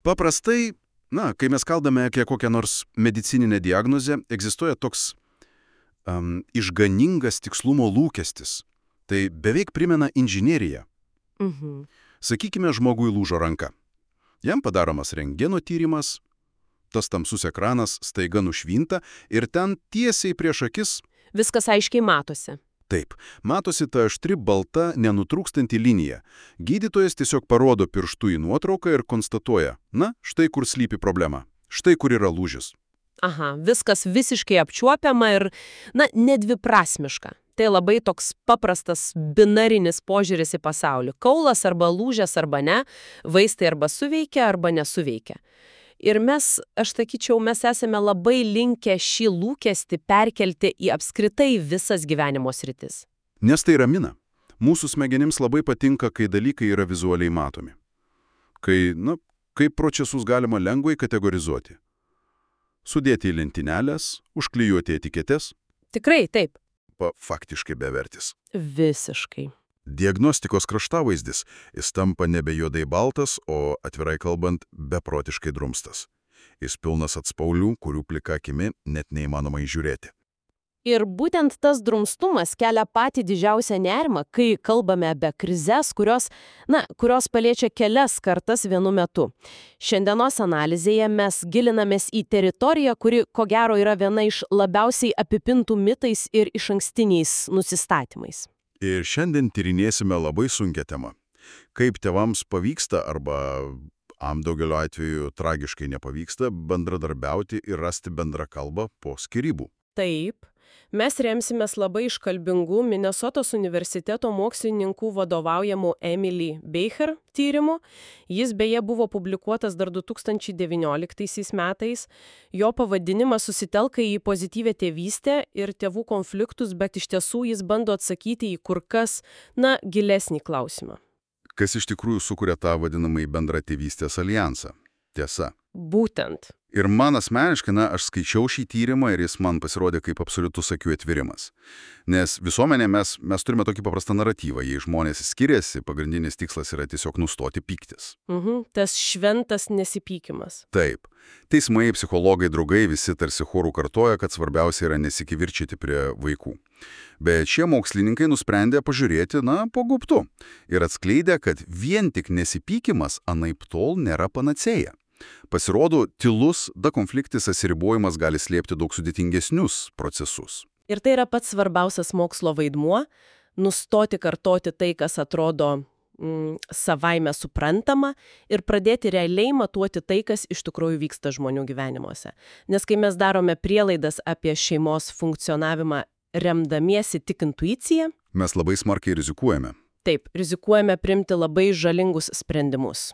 Paprastai, kai mes kalbame apie kokią nors medicininę diagnozę, egzistuoja toks išganingas tikslumo lūkestis. Tai beveik primena inžineriją. Sakykime, žmogui lūžo ranka. Jam padaromas rentgeno tyrimas, tas tamsus ekranas staiga nušvinta ir ten tiesiai prieš akis. Viskas aiškiai matosi. Taip, matosi ta aštri, balta, nenutrūkstanti linija. Gydytojas tiesiog parodo pirštu į nuotrauką ir konstatuoja, štai kur slypi problema, štai kur yra lūžis. Aha, viskas visiškai apčiuopiama ir, nedviprasmiška. Tai labai toks paprastas binarinis požiūris į pasaulį. Kaulas arba lūžęs arba ne, vaistai arba suveikia arba nesuveikia. Ir aš sakyčiau, mes esame labai linkę šį lūkestį perkelti į apskritai visas gyvenimo sritis. Nes tai ramina. Mūsų smegenims labai patinka, kai dalykai yra vizualiai matomi. Kaip procesus galima lengvai kategorizuoti. Sudėti į lentynelės, užklijuoti etiketes. Tikrai, taip. Faktiškai bevertis. Visiškai. Diagnostikos kraštavaizdis, jis tampa nebe juodai baltas, o atvirai kalbant, beprotiškai drumstas. Jis pilnas atspaulių, kurių plika akimi net neįmanoma įžiūrėti. Ir būtent tas drumstumas kelia patį didžiausią nerimą, kai kalbame apie krizes, kurios paliečia kelias kartas vienu metu. Šiandienos analizėje mes gilinamės į teritoriją, kuri, ko gero, yra viena iš labiausiai apipintų mitais ir išankstiniais nusistatymais. Ir šiandien tyrinėsime labai sunkią temą. Kaip tėvams pavyksta arba daugeliu atveju tragiškai nepavyksta bendradarbiauti ir rasti bendrą kalbą po skyrybų. Taip. Mes remsimės labai iškalbingų Minesotos universiteto mokslininkų vadovaujamų Emily Becher tyrimu. Jis beje buvo publikuotas dar 2019 metais. Jo pavadinimas susitelka į pozityvę tėvystę ir tėvų konfliktus, bet iš tiesų jis bando atsakyti į kur kas, gilesnį klausimą. Kas iš tikrųjų sukuria tą vadinamąjį bendrą tėvystės alijansą? Tiesa. Būtent. Ir man asmeniškai, aš skaičiau šį tyrimą ir jis man pasirodė kaip absoliutus akių atvirimas. Nes visuomenė mes turime tokį paprastą naratyvą. Jei žmonės skiriasi, pagrindinis tikslas yra tiesiog nustoti pyktis. Tas šventas nesipykimas. Taip. Teismai, psichologai, draugai visi tarsi chorų kartoja, kad svarbiausia yra nesikivirčyti prie vaikų. Bet šie mokslininkai nusprendė pažiūrėti, po gaubtu. Ir atskleidė, kad vien tik nesipykimas anaiptol nėra panacėja. Pasirodo, tylus, konfliktis atsiribojimas gali slėpti daug sudėtingesnius procesus. Ir tai yra pats svarbiausias mokslo vaidmuo – nustoti kartoti tai, kas atrodo savaime suprantama ir pradėti realiai matuoti tai, kas iš tikrųjų vyksta žmonių gyvenimuose. Nes kai mes darome prielaidas apie šeimos funkcionavimą remdamiesi tik intuiciją, mes labai smarkiai rizikuojame. Taip, rizikuojame priimti labai žalingus sprendimus.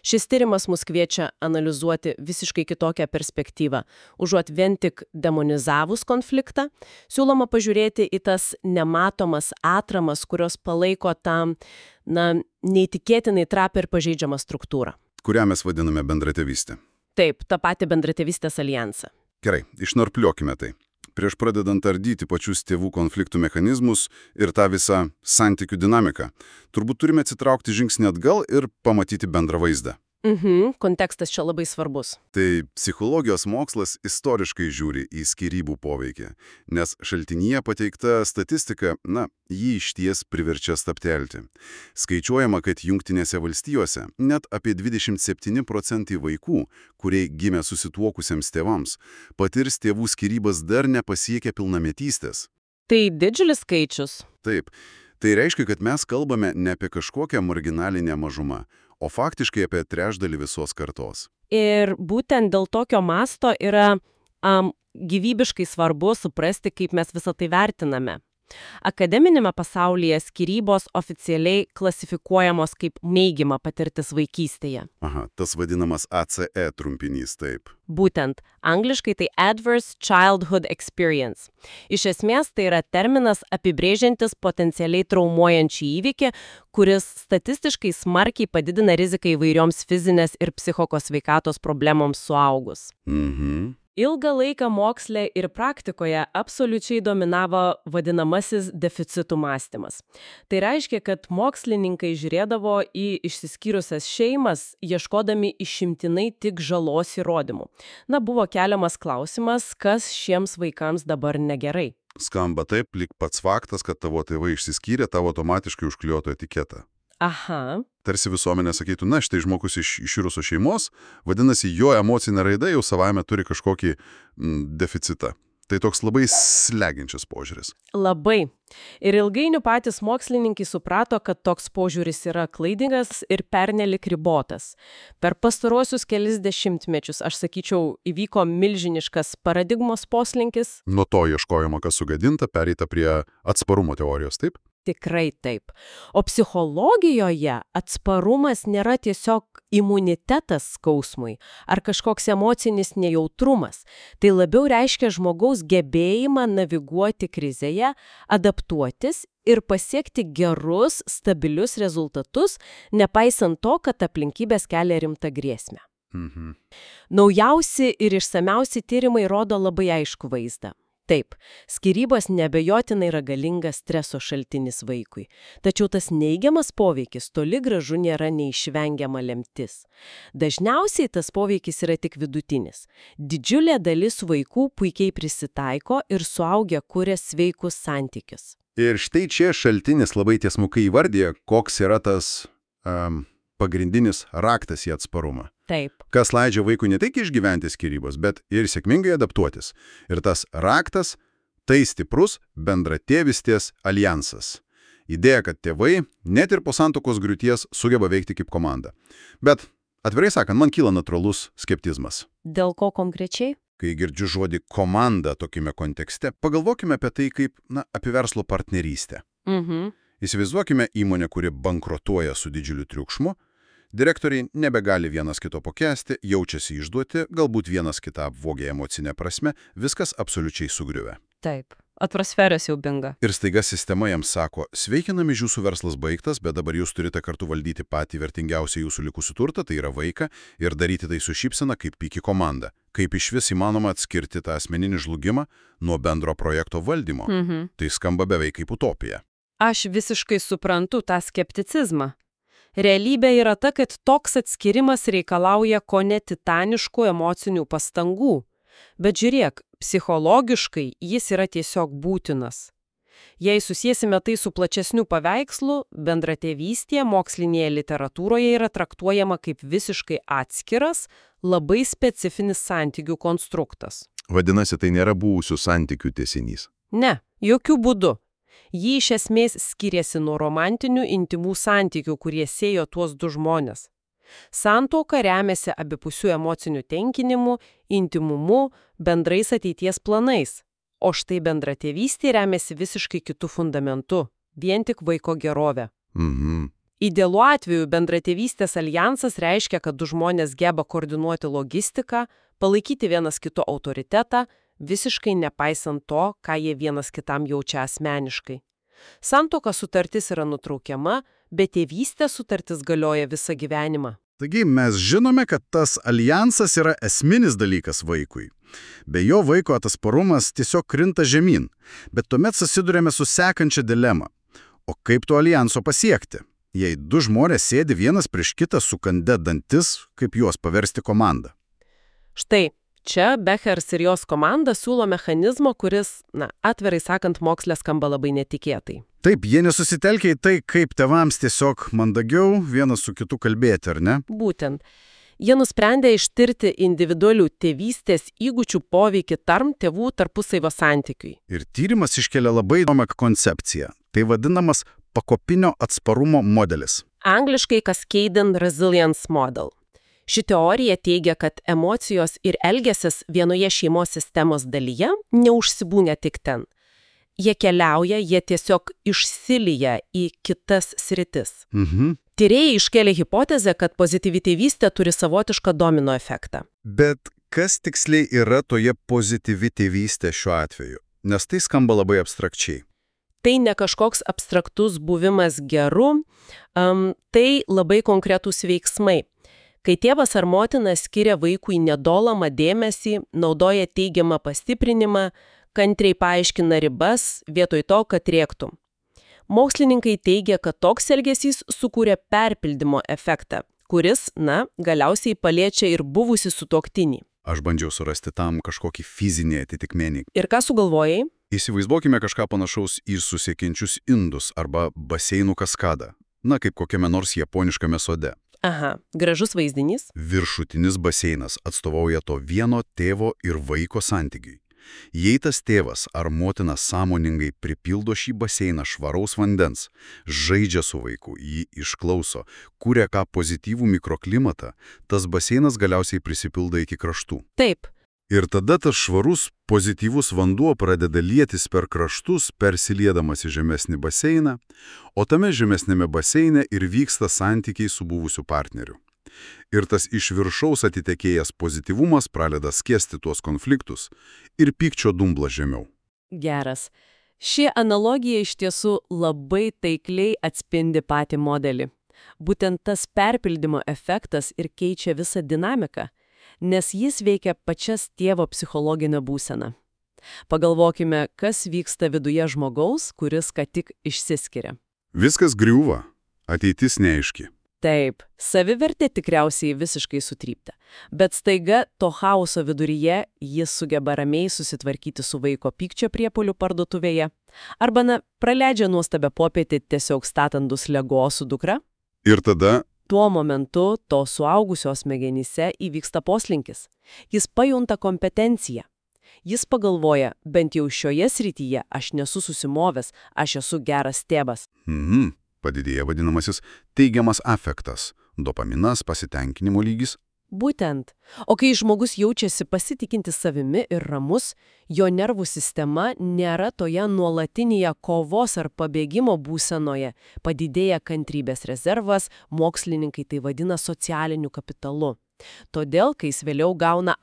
Šis tyrimas mus kviečia analizuoti visiškai kitokią perspektyvą. Užuot vien tik demonizavus konfliktą, siūloma pažiūrėti į tas nematomas atramas, kurios palaiko tą, neįtikėtinai trapią ir pažeidžiamą struktūrą. Kurią mes vadiname bendratėvystė. Taip, tą patį bendratėvystės alijansą. Gerai, išnarpliokime tai. Prieš pradedant ardyti pačius tėvų konfliktų mechanizmus ir tą visą santykių dinamiką, turbūt turime atsitraukti žingsnį atgal ir pamatyti bendrą vaizdą. Kontekstas čia labai svarbus. Tai psichologijos mokslas istoriškai žiūri į skyrybų poveikį, nes šaltinyje pateikta statistika, jį išties priverčia stabtelti. Skaičiuojama, kad Jungtinėse valstijose net apie 27% vaikų, kurie gimė susituokusiems tėvams, patirs tėvų skyrybas dar nepasiekę pilnametystės. Tai didžiulis skaičius. Taip. Tai reiškia, kad mes kalbame ne apie kažkokią marginalinę mažumą, o faktiškai apie trečdalį visos kartos. Ir būtent dėl tokio masto yra gyvybiškai svarbu suprasti, kaip mes visą tai vertiname. Akademinėme pasaulyje skyrybos oficialiai klasifikuojamos kaip neigiama patirtis vaikystėje. Aha, tas vadinamas ACE trumpinys, taip. Būtent, angliškai tai Adverse Childhood Experience. Iš esmės tai yra terminas apibrėžiantis potencialiai traumuojančią įvykį, kuris statistiškai smarkiai padidina riziką įvairioms fizinės ir psichikos sveikatos problemoms suaugus. Ilgą laiką moksle ir praktikoje absoliučiai dominavo vadinamasis deficitų mąstymas. Tai reiškia, kad mokslininkai žiūrėdavo į išsiskyrusias šeimas, ieškodami išimtinai tik žalos įrodymų. Buvo keliamas klausimas, kas šiems vaikams dabar negerai. Skamba taip, lyg pats faktas, kad tavo tėvai išsiskyrė, tavo automatiškai užklijuotų etiketą. Aha. Tarsi visuomenė sakytų, na, štai žmogus iš iširusios šeimos, vadinasi, jo emocinė raida jau savaime turi kažkokį deficitą. Tai toks labai slegiančias požiūris. Labai. Ir ilgainiui patys mokslininkai suprato, kad toks požiūris yra klaidingas ir pernelik ribotas. Per pastaruosius kelis dešimtmečius, aš sakyčiau, įvyko milžiniškas paradigmos poslinkis. Nuo to ieškojimo, kas sugadinta, pereita prie atsparumo teorijos, taip? Tikrai taip. O psichologijoje atsparumas nėra tiesiog imunitetas skausmui ar kažkoks emocinis nejautrumas. Tai labiau reiškia žmogaus gebėjimą naviguoti krizėje, adaptuotis ir pasiekti gerus, stabilius rezultatus, nepaisant to, kad aplinkybės kelia rimtą grėsmę. Naujausi ir išsamiausi tyrimai rodo labai aiškų vaizdą. Taip, skyrybos neabejotinai yra galingas streso šaltinis vaikui, tačiau tas neigiamas poveikis toli gražu nėra neišvengiama lemtis. Dažniausiai tas poveikis yra tik vidutinis. Didžiulė dalis vaikų puikiai prisitaiko ir suaugę kuria sveikus santykius. Ir štai čia šaltinis labai tiesmukai įvardija, koks yra tas pagrindinis raktas į atsparumą. Taip. Kas leidžia vaikui ne tik išgyventi skyrybos, bet ir sėkmingai adaptuotis. Ir tas raktas – tai stiprus bendratėvystės aljansas. Idėja, kad tėvai, net ir po santuokos griūties, sugeba veikti kaip komanda. Bet, atvirai sakant, man kyla natūralus skeptizmas. Dėl ko konkrečiai? Kai girdžiu žodį komanda tokiame kontekste, pagalvokime apie tai kaip, apie verslo partnerystę. Įsivaizduokime įmonę, kuri bankrotuoja su didžiuliu triukšmu. Direktoriai nebegali vienas kito pakęsti, jaučiasi išduoti, galbūt vienas kitą apvogė emocinę prasme, viskas absoliučiai sugriuvę. Taip, atmosfera siaubinga. Ir staiga sistema jiems sako, sveikinami, jūsų verslas baigtas, bet dabar jūs turite kartu valdyti patį vertingiausią jūsų likusį turtą, tai yra vaiką, ir daryti tai su šypsena kaip puiki komanda. Kaip išvis įmanoma atskirti tą asmeninį žlugimą nuo bendro projekto valdymo. Tai skamba beveik kaip utopija. Aš visiškai suprantu tą skepticizmą. Realybė yra ta, kad toks atskirimas reikalauja kone titaniškų emocinių pastangų. Bet žiūrėk, psichologiškai jis yra tiesiog būtinas. Jei susiesime tai su plačesniu paveikslu, bendratėvystė mokslinėje literatūroje yra traktuojama kaip visiškai atskiras, labai specifinis santykių konstruktas. Vadinasi, tai nėra buvusių santykių tęsinys. Ne, jokių būdų. Jį iš esmės skiriasi nuo romantinių intimų santykių, kurie siejo tuos du žmonės. Santuoka remiasi abipusių emocinių tenkinimu, intimumu, bendrais ateities planais. O štai bendratėvystė remiasi visiškai kitų fundamentų, vien tik vaiko gerovė. Idealiu atveju bendratėvystės aljansas reiškia, kad du žmonės geba koordinuoti logistiką, palaikyti vienas kito autoritetą, visiškai nepaisant to, ką jie vienas kitam jaučia asmeniškai. Santuoka sutartis yra nutraukiama, bet tėvystės sutartis galioja visą gyvenimą. Taigi mes žinome, kad tas aljansas yra esminis dalykas vaikui. Be jo vaiko atsparumas tiesiog krinta žemyn, bet tuomet susidurėme su sekančia dilema. O kaip to aljanso pasiekti? Jei du žmonės sėdi vienas prieš kitą sukandę dantis, kaip juos paversti komandą? Štai. Čia Bechers ir jos komanda siūlo mechanizmo, kuris, atvirai sakant, moksle skamba labai netikėtai. Taip, jie nesusitelkia į tai, kaip tėvams tiesiog mandagiau vienas su kitu kalbėti, ar ne? Būtent. Jie nusprendė ištirti individualių tėvystės įgūdžių poveikį tėvų tarpusavio santykiui. Ir tyrimas iškelia labai įdomią koncepciją. Tai vadinamas pakopinio atsparumo modelis. Angliškai Cascading Resilience Model. Ši teorija teigia, kad emocijos ir elgesys vienoje šeimos sistemos dalyje neužsibūna tik ten. Jie keliauja, jie tiesiog išsilieja į kitas sritis. Tyrėjai iškėlė hipotezę, kad pozityvi tėvystė turi savotišką domino efektą. Bet kas tiksliai yra toje pozityvi tėvystė šiuo atveju? Nes tai skamba labai abstrakčiai. Tai ne kažkoks abstraktus buvimas geru, tai labai konkretūs veiksmai. Kai tėvas ar motina skiria vaikui nedolomą dėmesį, naudoja teigiamą pastiprinimą, kantriai paaiškina ribas, vietoj to, kad rėktų. Mokslininkai teigia, kad toks elgesys sukūrė perpildymo efektą, kuris, galiausiai paliečia ir buvusį sutuoktinį. Aš bandžiau surasti tam kažkokį fizinį atitikmenį. Ir ką sugalvojai? Įsivaizduokime kažką panašaus į susiekiančius indus arba baseinų kaskadą. Kaip kokiame nors japoniškame sode. Aha, gražus vaizdinys. Viršutinis baseinas atstovauja to vieno tėvo ir vaiko santykiui. Jei tas tėvas ar motina sąmoningai pripildo šį baseiną švaraus vandens, žaidžia su vaiku, jį išklauso, kuria ką pozityvų mikroklimatą, tas baseinas galiausiai prisipildo iki kraštų. Taip. Ir tada tas švarus, pozityvus vanduo pradeda lietis per kraštus, persiliedamas į žemesnį baseiną, o tame žemesnėme baseine ir vyksta santykiai su buvusiu partneriu. Ir tas iš viršaus atitekėjęs pozityvumas pradeda skęsti tuos konfliktus ir pykčio dumbla žemiau. Geras. Ši analogija iš tiesų labai taikliai atspindi patį modelį. Būtent tas perpildymo efektas ir keičia visą dinamiką, nes jis veikia pačias tėvo psichologinę būseną. Pagalvokime, kas vyksta viduje žmogaus, kuris ką tik išsiskiria. Viskas griūva, ateitis neaiški. Taip, savivertė tikriausiai visiškai sutrypta, bet staiga to chaoso viduryje jis sugeba ramiai susitvarkyti su vaiko pykčio priepuoliu parduotuvėje, arba praleidžia nuostabią popietę tiesiog statandus Lego su dukra. Ir tada tuo momentu to suaugusio smegenyse įvyksta poslinkis. Jis pajunta kompetenciją. Jis pagalvoja, bent jau šioje srityje aš nesu susimovęs, aš esu geras tėvas. Padidėja vadinamasis teigiamas afektas, dopaminas, pasitenkinimo lygis. Būtent. O kai žmogus jaučiasi pasitikintis savimi ir ramus, jo nervų sistema nėra toje nuolatinėje kovos ar pabėgimo būsenoje, padidėja kantrybės rezervas, mokslininkai tai vadina socialiniu kapitalu. Todėl, kai jis vėliau gauna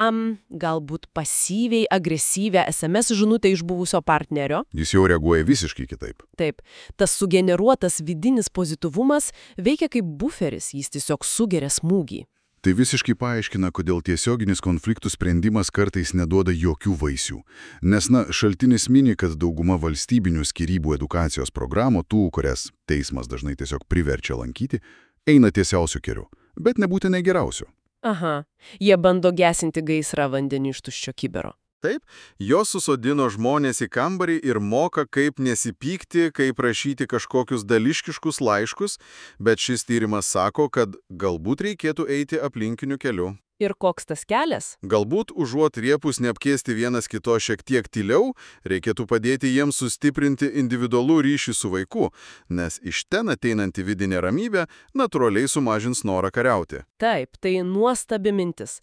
galbūt pasyviai agresyvę SMS žinutę iš buvusio partnerio, jis jau reaguoja visiškai kitaip. Taip, tas sugeneruotas vidinis pozityvumas veikia kaip buferis, jis tiesiog sugeria smūgį. Tai visiškai paaiškina, kodėl tiesioginis konfliktų sprendimas kartais neduoda jokių vaisių. Nes, šaltinis mini, kad dauguma valstybinių skyrybų edukacijos programų, kurias teismas dažnai tiesiog priverčia lankyti, eina tiesiausiu keliu, bet nebūtinai geriausiu. Aha, jie bando gesinti gaisrą vandeniu iš tuščio kibiro. Taip, jos susodino žmonės į kambarį ir moka, kaip nesipykti, kaip rašyti kažkokius dališkiškus laiškus, bet šis tyrimas sako, kad galbūt reikėtų eiti aplinkiniu keliu. Ir koks tas kelias? Galbūt užuot riepus neapkėsti vienas kito šiek tiek tyliau, reikėtų padėti jiems sustiprinti individualų ryšį su vaiku, nes iš ten ateinanti vidinė ramybė natūraliai sumažins norą kariauti. Taip, tai nuostabi mintis.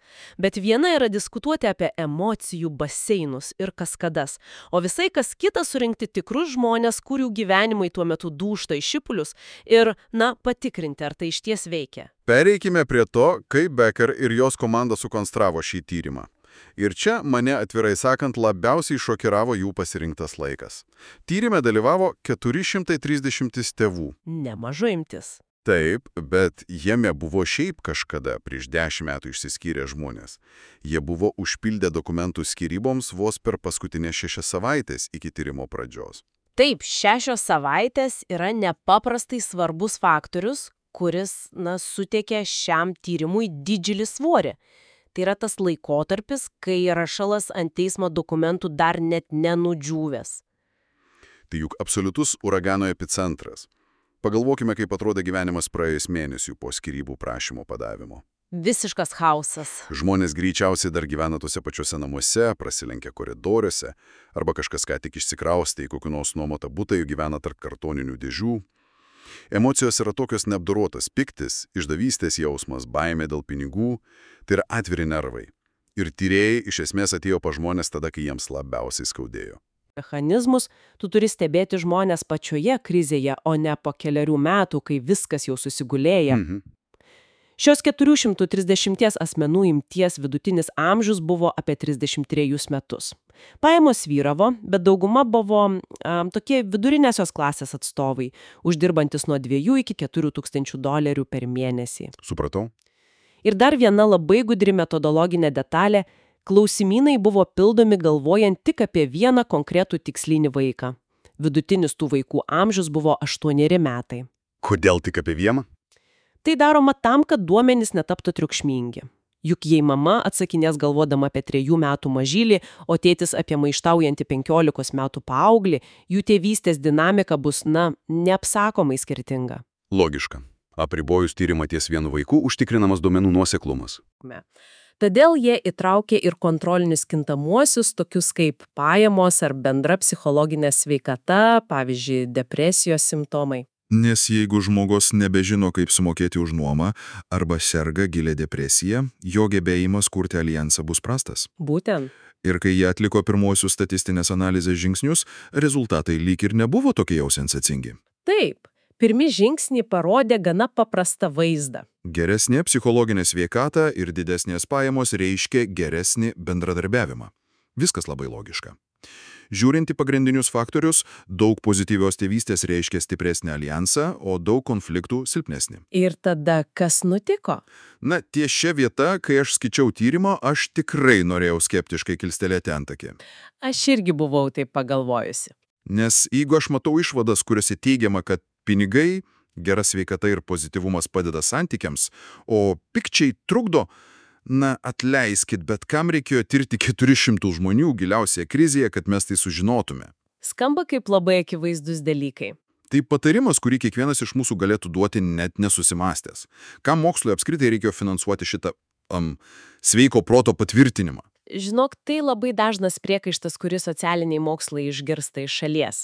Bet viena yra diskutuoti apie emocijų baseinus ir kaskadas, o visai kas kita surinkti tikrus žmonės, kurių gyvenimai tuo metu dūžta į šipulius ir, patikrinti, ar tai išties veikia. Pereikime prie to, kaip Becker ir jos komanda sukonstravo šį tyrimą. Ir čia mane, atvirai sakant, labiausiai šokiravo jų pasirinktas laikas. Tyrime dalyvavo 430 tėvų. Nemaža imtis. Taip, bet jame buvo šiaip kažkada prieš 10 metų išsiskyrę žmonės. Jie buvo užpildę dokumentų skyryboms vos per paskutinės 6 savaitės iki tyrimo pradžios. Taip, 6 savaitės yra nepaprastai svarbus faktorius, kuris, suteikia šiam tyrimui didžiulį svorį. Tai yra tas laikotarpis, kai rašalas ant teismo dokumentų dar net nenudžiūvęs. Tai juk absoliutus uragano epicentras. Pagalvokime, kaip atrodė gyvenimas praėjus mėnesių po skyrybų prašymo padavimo. Visiškas chaosas. Žmonės greičiausiai dar gyvena tuose pačiuose namuose, prasilenkia koridoriuose, arba kažkas ką tik išsikraustė į kokį nors nuomotą butą ir gyvena tarp kartoninių dėžių. Emocijos yra tokios neapdorotas piktis, išdavystės jausmas, baimė dėl pinigų, tai yra atviri nervai. Ir tyrėjai iš esmės atėjo pas žmonės tada, kai jiems labiausiai skaudėjo. Mechanizmus tu turi stebėti žmonės pačioje krizėje, o ne po keliarių metų, kai viskas jau susigulėja. Šios 430 asmenų imties vidutinis amžius buvo apie 33 metus. Pajamos vyravo, bet dauguma buvo tokie vidurinėsios klasės atstovai, uždirbantis nuo 2 iki 4 tūkstančių dolerių per mėnesį. Supratau. Ir dar viena labai gudri metodologinė detalė – klausimynai buvo pildomi galvojant tik apie vieną konkretų tikslinį vaiką. Vidutinis tų vaikų amžius buvo 8 metai. Kodėl tik apie vieną? Tai daroma tam, kad duomenys netaptų triukšmingi. Juk jei mama atsakinės galvodama apie 3 metų mažylį, o tėtis apie maištaujantį 15 metų paauglį, jų tėvystės dinamika bus, neapsakomai skirtinga. Logiška. Apribojus tyrimą ties vienu vaiku užtikrinamas duomenų nuoseklumas. Todėl jie įtraukė ir kontrolinius kintamuosius, tokius kaip pajamos ar bendra psichologinė sveikata, pavyzdžiui, depresijos simptomai. Nes jeigu žmogus nebežino, kaip sumokėti už nuomą arba serga gilia depresija, jo gebėjimas kurti alijansą bus prastas. Būtent. Ir kai jie atliko pirmosius statistinės analizės žingsnius, rezultatai lyg ir nebuvo tokie jau sensacingi. Taip, pirmi žingsniai parodė gana paprastą vaizdą. Geresnė psichologinė sveikata ir didesnės pajamos reiškia geresnį bendradarbiavimą. Viskas labai logiška. Žiūrint į pagrindinius faktorius, daug pozityvios tėvystės reiškia stipresnį alijansą, o daug konfliktų silpnesnį. Ir tada kas nutiko? Ties šia vieta, kai aš skaičiau tyrimą, aš tikrai norėjau skeptiškai kilstelėti antakį. Aš irgi buvau taip pagalvojusi. Nes jeigu aš matau išvadas, kuriuose teigiama, kad pinigai, gera sveikata ir pozityvumas padeda santykiams, o pikčiai trukdo, atleiskit, bet kam reikėjo tirti 400 žmonių giliausioje krizėje, kad mes tai sužinotume? Skamba kaip labai akivaizdus dalykai. Tai patarimas, kurį kiekvienas iš mūsų galėtų duoti net nesusimastęs. Kam mokslui apskritai reikėjo finansuoti šitą sveiko proto patvirtinimą? Žinok, tai labai dažnas priekaištas, kurį socialiniai mokslai išgirsta iš šalies.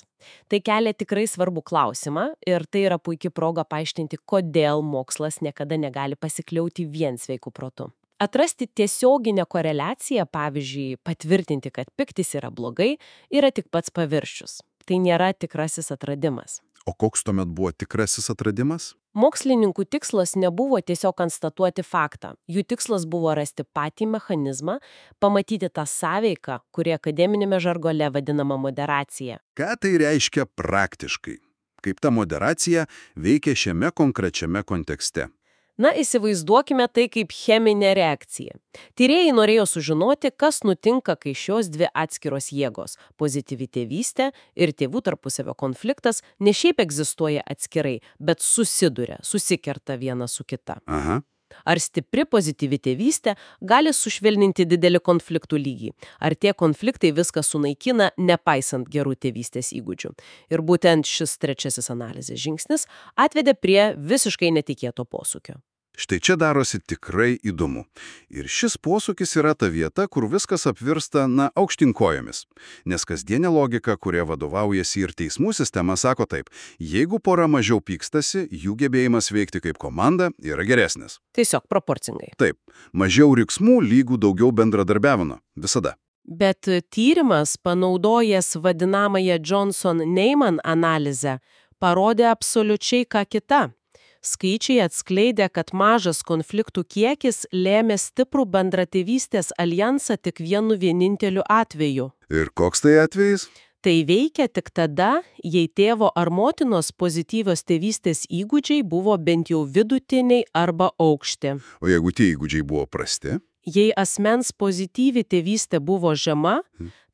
Tai kelia tikrai svarbų klausimą ir tai yra puikia proga paaiškinti, kodėl mokslas niekada negali pasikliauti vien sveiku protu. Atrasti tiesioginę koreliaciją, pavyzdžiui, patvirtinti, kad piktis yra blogai, yra tik pats paviršius. Tai nėra tikrasis atradimas. O koks tuomet buvo tikrasis atradimas? Mokslininkų tikslas nebuvo tiesiog konstatuoti faktą. Jų tikslas buvo rasti patį mechanizmą, pamatyti tą sąveiką, kuri akademinėme žargone vadinama moderacija. Ką tai reiškia praktiškai? Kaip ta moderacija veikia šiame konkrečiame kontekste? Įsivaizduokime tai kaip cheminė reakcija. Tyrėjai norėjo sužinoti, kas nutinka, kai šios dvi atskiros jėgos – pozityvi tėvystė ir tėvų tarpusavio konfliktas – ne šiaip egzistuoja atskirai, bet susikerta viena su kita. Aha. Ar stipri pozityvi tėvystė gali sušvelninti didelį konfliktų lygį? Ar tie konfliktai viską sunaikina, nepaisant gerų tėvystės įgūdžių? Ir būtent šis trečiasis analizės žingsnis atvedė prie visiškai netikėto posūkio. Štai čia darosi tikrai įdomu. Ir šis posūkis yra ta vieta, kur viskas apvirsta, aukštinkojomis. Nes kasdienė logika, kuria vadovaujasi ir teismų sistema, sako taip, jeigu pora mažiau pykstasi, jų gebėjimas veikti kaip komanda yra geresnis. Tiesiog proporcingai. Taip, mažiau riksmų lygų daugiau bendradarbiavimo. Visada. Bet tyrimas, panaudojęs vadinamąją Johnson-Neyman analizę, parodė absoliučiai ką kita. Skaičiai atskleidė, kad mažas konfliktų kiekis lėmė stiprų bendratėvystės alijansą tik vienu vieninteliu atveju. Ir koks tai atvejis? Tai veikia tik tada, jei tėvo ar motinos pozityvios tėvystės įgūdžiai buvo bent jau vidutiniai arba aukšti. O jeigu tie įgūdžiai buvo prasti? Jei asmens pozityvi tėvystė buvo žema,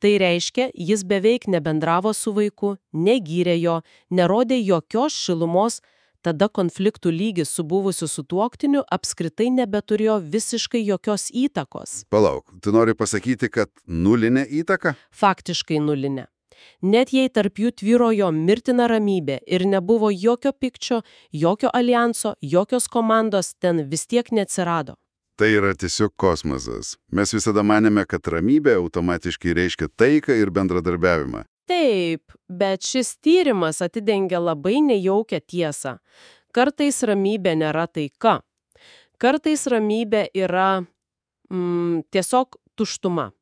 tai reiškia, jis beveik nebendravo su vaiku, negyrė jo, nerodė jokios šilumos, tada konfliktų lygis su buvusiu sutuoktiniu apskritai nebeturėjo visiškai jokios įtakos. Palauk, tu nori pasakyti, kad nulinė įtaka? Faktiškai nulinė. Net jei tarp jų tvyrojo mirtina ramybė ir nebuvo jokio pykčio, jokio alijanso, jokios komandos, ten vis tiek neatsirado. Tai yra tiesiog kosmosas. Mes visada manėme, kad ramybė automatiškai reiškia taiką ir bendradarbiavimą. Taip, bet šis tyrimas atidengia labai nejaukią tiesą. Kartais ramybė nėra taika. Kartais ramybė yra tiesiog tuštuma.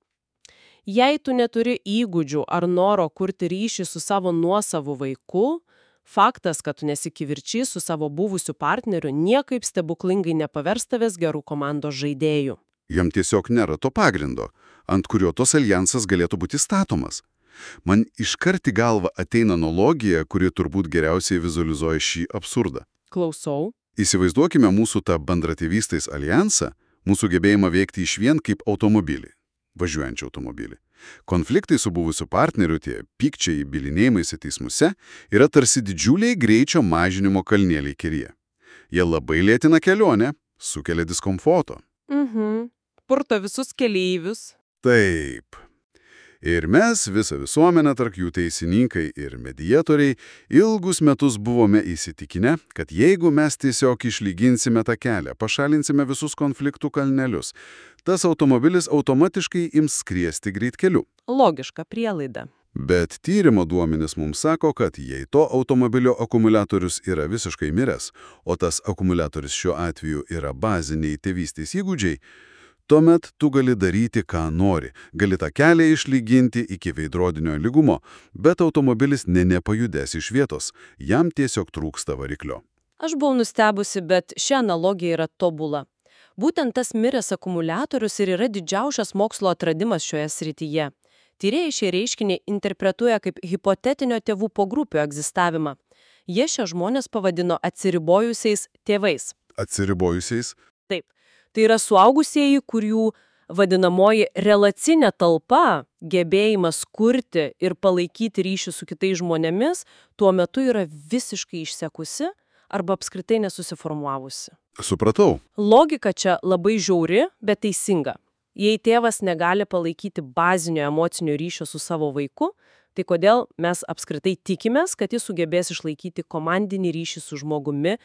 Jei tu neturi įgūdžių ar noro kurti ryšį su savo nuosavu vaiku, faktas, kad tu nesikivirčiai su savo buvusiu partneriu, niekaip stebuklingai nepavers tavęs gerų komandos žaidėjų. Jam tiesiog nėra to pagrindo, ant kurio tos alijansas galėtų būti statomas. Man iškart į galvą ateina analogija, kuri turbūt geriausiai vizualizuoja šį absurdą. Klausau. Įsivaizduokime mūsų tą bendratėvystės alijansą, mūsų gebėjimą veikti išvien kaip automobilį, važiuojantį automobilį. Konfliktai su buvusiu partneriu, tie pykčiai, bylinėjimaisi teismuose, yra tarsi didžiuliai greičio mažinimo kalnėliai kelyje. Jie labai lėtina kelionę, sukelia diskomforto. Purto visus keleivius. Taip. Ir mes, visa visuomenė, tarp jų teisininkai ir mediatoriai, ilgus metus buvome įsitikinę, kad jeigu mes tiesiog išlyginsime tą kelią, pašalinsime visus konfliktų kalnelius, tas automobilis automatiškai ims skriesti greitkeliu. Logiška prielaida. Bet tyrimo duomenys mums sako, kad jei to automobilio akumuliatorius yra visiškai miręs, o tas akumuliatorius šiuo atveju yra baziniai tėvystės įgūdžiai, tuomet tu gali daryti, ką nori, gali tą kelią išlyginti iki veidrodinio lygumo, bet automobilis nepajudės iš vietos, jam tiesiog trūksta variklio. Aš buvau nustebusi, bet ši analogija yra tobula. Būtent tas miręs akumuliatorius ir yra didžiausias mokslo atradimas šioje srityje. Tyrėjai šį reiškinį interpretuoja kaip hipotetinio tėvų pogrupių egzistavimą. Jie šią žmonės pavadino atsiribojusiais tėvais. Atsiribojusiais? Taip. Tai yra suaugusieji, kurių vadinamoji relacinė talpa, gebėjimas kurti ir palaikyti ryšį su kitais žmonėmis, tuo metu yra visiškai išsekusi arba apskritai nesusiformuavusi. Supratau. Logika čia labai žiauri, bet teisinga. Jei tėvas negali palaikyti bazinio emocinio ryšio su savo vaiku, tai kodėl mes apskritai tikimės, kad jis sugebės išlaikyti komandinį ryšį su žmogumi,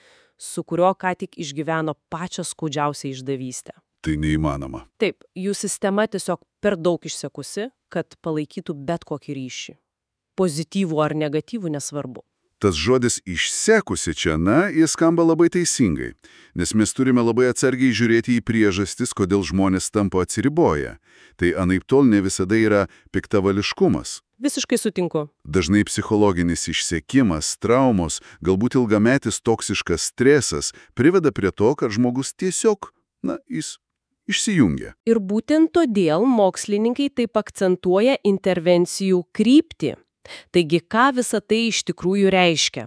su kurio ką tik išgyveno pačią skaudžiausią išdavystę. Tai neįmanoma. Taip, jų sistema tiesiog per daug išsekusi, kad palaikytų bet kokį ryšį. Pozityvų ar negatyvų nesvarbu. Tas žodis išsekusi čia, jis skamba labai teisingai, nes mes turime labai atsargiai žiūrėti į priežastis, kodėl žmonės tampa atsiriboję. Tai anaiptol ne visada yra piktavališkumas. Visiškai sutinku. Dažnai psichologinis išsekimas, traumos, galbūt ilgametis toksiškas stresas priveda prie to, kad žmogus tiesiog, jis išsijungia. Ir būtent todėl mokslininkai taip akcentuoja intervencijų kryptį. Taigi, ką visa tai iš tikrųjų reiškia?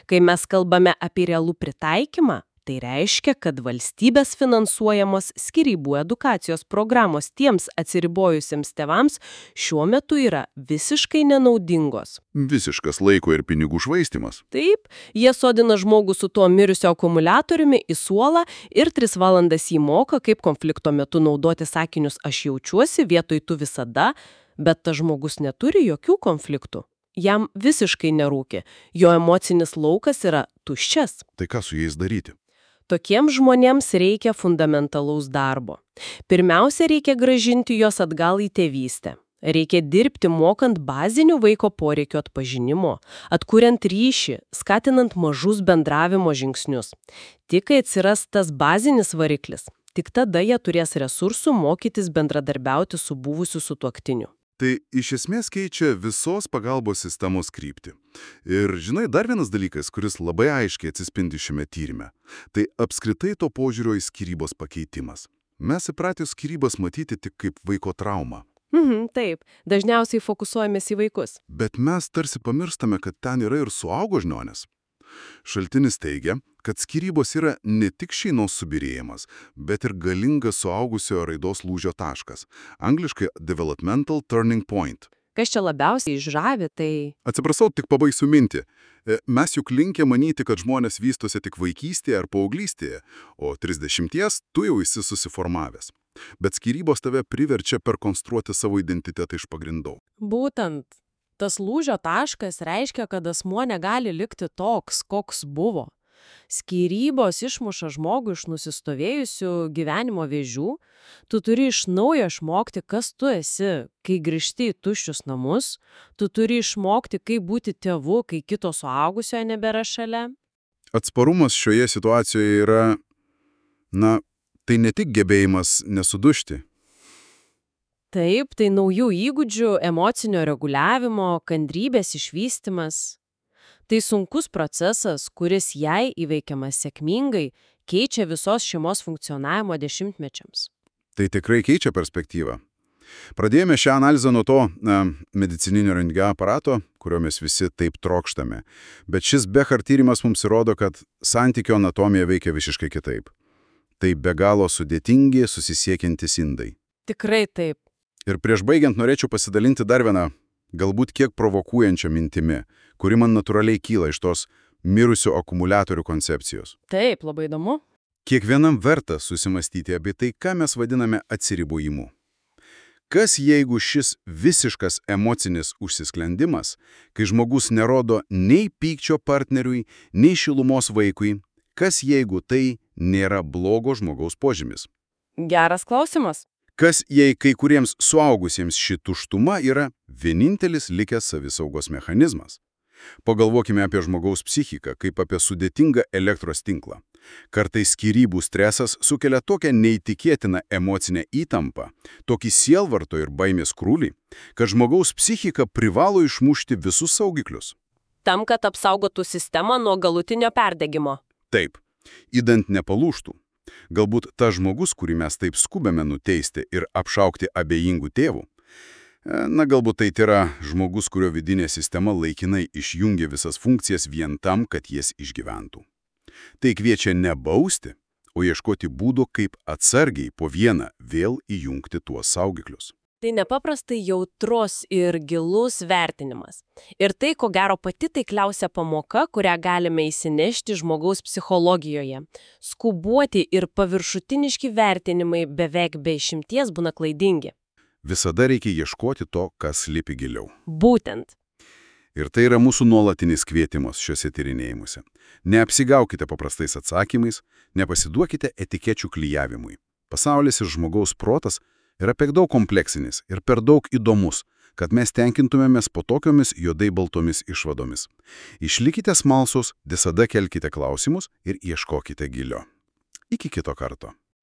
Kai mes kalbame apie realų pritaikymą, tai reiškia, kad valstybės finansuojamos skyrybų edukacijos programos tiems atsiribojusiems tėvams šiuo metu yra visiškai nenaudingos. Visiškas laiko ir pinigų švaistymas. Taip, jie sodina žmogų su tuo mirusio akumuliatoriumi į suolą ir 3 valandas jį moko, kaip konflikto metu naudoti sakinius aš jaučiuosi vietoj tu visada, bet tas žmogus neturi jokių konfliktų. Jam visiškai nerūki, jo emocinis laukas yra tuščias. Tai ką su jais daryti? Tokiems žmonėms reikia fundamentalaus darbo. Pirmiausia, reikia grąžinti juos atgal į tėvystę. Reikia dirbti mokant bazinių vaiko poreikių atpažinimo, atkuriant ryšį, skatinant mažus bendravimo žingsnius. Tik kai atsiras tas bazinis variklis, tik tada jie turės resursų mokytis bendradarbiauti su buvusiu sutuoktiniu. Tai iš esmės keičia visos pagalbos sistemos kryptį. Ir žinai, dar vienas dalykas, kuris labai aiškiai atsispindi šiame tyrime, tai apskritai to požiūrio į skyrybos pakeitimas. Mes įpratę skyrybas matyti tik kaip vaiko traumą. Taip, dažniausiai fokusuojamės į vaikus. Bet mes tarsi pamirštame, kad ten yra ir suaugo žmonės. Šaltinis teigia, kad skyrybos yra ne tik šeimos subyrėjimas, bet ir galingas suaugusiojo raidos lūžio taškas. Angliškai developmental turning point. Kas čia labiausiai žavi, tai... Atsiprašau, tik pabaigsiu mintį. Mes juk linkę manyti, kad žmonės vystosi tik vaikystėje ar paauglystėje, o 30 tu jau esi susiformavęs. Bet skyrybos tave priverčia perkonstruoti savo identitetą iš pagrindų. Būtent. Tas lūžio taškas reiškia, kad asmuo negali likti toks, koks buvo. Skyrybos išmuša žmogų iš nusistovėjusių gyvenimo vėžių. Tu turi iš naujo išmokti, kas tu esi, kai grįžti į tuščius namus. Tu turi išmokti, kaip būti tėvu, kai kito suaugusiojo nebėra šalia. Atsparumas šioje situacijoje yra, tai ne tik gebėjimas nesudužti. Taip, tai naujų įgūdžių, emocinio reguliavimo, kantrybės išvystymas. Tai sunkus procesas, kuris jei įveikiamas sėkmingai, keičia visos šeimos funkcionavimo dešimtmečiams. Tai tikrai keičia perspektyvą. Pradėjome šią analizę nuo to medicininio rentgeno aparato, kurio mes visi taip trokštame. Bet šis Behar tyrimas mums įrodo, kad santykio anatomija veikia visiškai kitaip. Tai be galo sudėtingi, susisiekiantys indai. Tikrai taip. Ir prieš baigiant norėčiau pasidalinti dar vieną, galbūt kiek provokuojančią mintimi, kuri man natūraliai kyla iš tos mirusių akumuliatorių koncepcijos. Taip, labai įdomu. Kiekvienam verta susimastyti apie tai, ką mes vadiname atsiribojimu. Kas jeigu šis visiškas emocinis užsisklendimas, kai žmogus nerodo nei pykčio partneriui, nei šilumos vaikui, kas jeigu tai nėra blogo žmogaus požymis? Geras klausimas. Kas jei kai kuriems suaugusiems ši tuštuma yra vienintelis likęs savisaugos mechanizmas? Pagalvokime apie žmogaus psichiką kaip apie sudėtingą elektros tinklą. Kartais skyrybų stresas sukelia tokią neįtikėtiną emocinę įtampą, tokį sielvarto ir baimės krūvį, kad žmogaus psichika privalo išmušti visus saugiklius. Tam, kad apsaugotų sistemą nuo galutinio perdegimo. Taip, idant nepalūžtų. Galbūt tas žmogus, kurį mes taip skubame nuteisti ir apšaukti abejingų tėvų, galbūt tai yra žmogus, kurio vidinė sistema laikinai išjungia visas funkcijas vien tam, kad jas išgyventų. Tai kviečia ne bausti, o ieškoti būdų, kaip atsargiai po vieną vėl įjungti tuos saugiklius. Tai nepaprastai jautrus ir gilus vertinimas. Ir tai, ko gero, pati taikliausia pamoka, kurią galime įsinešti žmogaus psichologijoje. Skubuoti ir paviršutiniški vertinimai beveik be išimties būna klaidingi. Visada reikia ieškoti to, kas slypi giliau. Būtent. Ir tai yra mūsų nuolatinis kvietimas šiuose tyrinėjimuose. Neapsigaukite paprastais atsakymais, nepasiduokite etikečių klijavimui. Pasaulis ir žmogaus protas yra per daug kompleksinis ir per daug įdomus, kad mes tenkintumėmės po tokiomis juodai baltomis išvadomis. Išlikite smalsūs, visada kelkite klausimus ir ieškokite gilio. Iki kito karto.